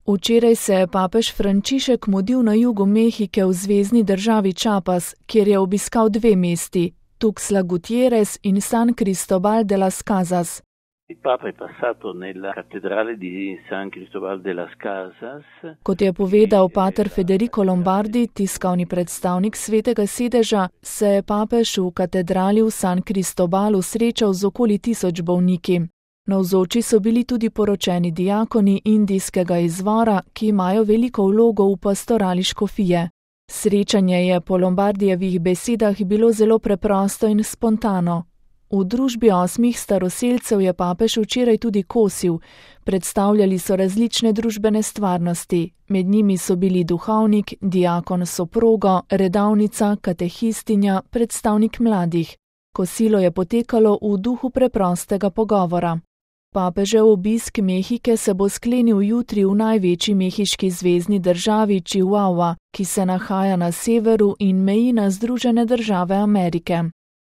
Včeraj se je papež Frančišek mudil na jugu Mehike v zvezni državi Chiapas, kjer je obiskal dve mesti, Tuxtla Gutiérrez in San Cristóbal de las Casas. Kot je povedal pater Federico Lombardi, tiskovni predstavnik Svetega sedeža, se je papež v katedrali v San Cristóbalu srečal z okoli 1000 bolniki. Navzoči so bili tudi poročeni diakoni indijskega izvora, ki imajo veliko vlogo v pastorali škofije. Srečanje je po Lombardijevih besedah bilo zelo preprosto in spontano. V družbi 8 staroselcev je papež včeraj tudi kosil. Predstavljali so različne družbene stvarnosti. Med njimi so bili duhovnik, diakon s soprogo, redavnica, katehistinja, predstavnik mladih. Kosilo je potekalo v duhu preprostega pogovora. Papežev obisk Mehike se bo sklenil jutri v največji mehiški zvezni državi Chihuahua, ki se nahaja na severu in meji na Združene države Amerike.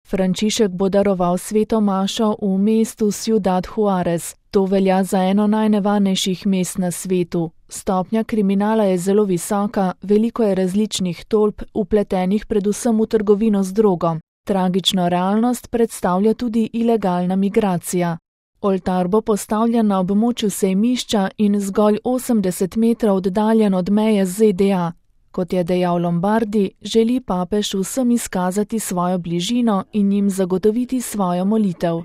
Frančišek bo daroval sveto mašo v mestu Ciudad Juárez. To velja za eno najnevarnejših mest na svetu. Stopnja kriminala je zelo visoka, veliko je različnih tolp, vpletenih predvsem v trgovino z drogo. Tragično realnost predstavlja tudi ilegalna migracija. Oltar bo postavljen na območju sejmišča in zgolj 80 metrov oddaljen od meje z ZDA. Kot je dejal Lombardi, želi papež vsem izkazati svojo bližino in jim zagotoviti svojo molitev.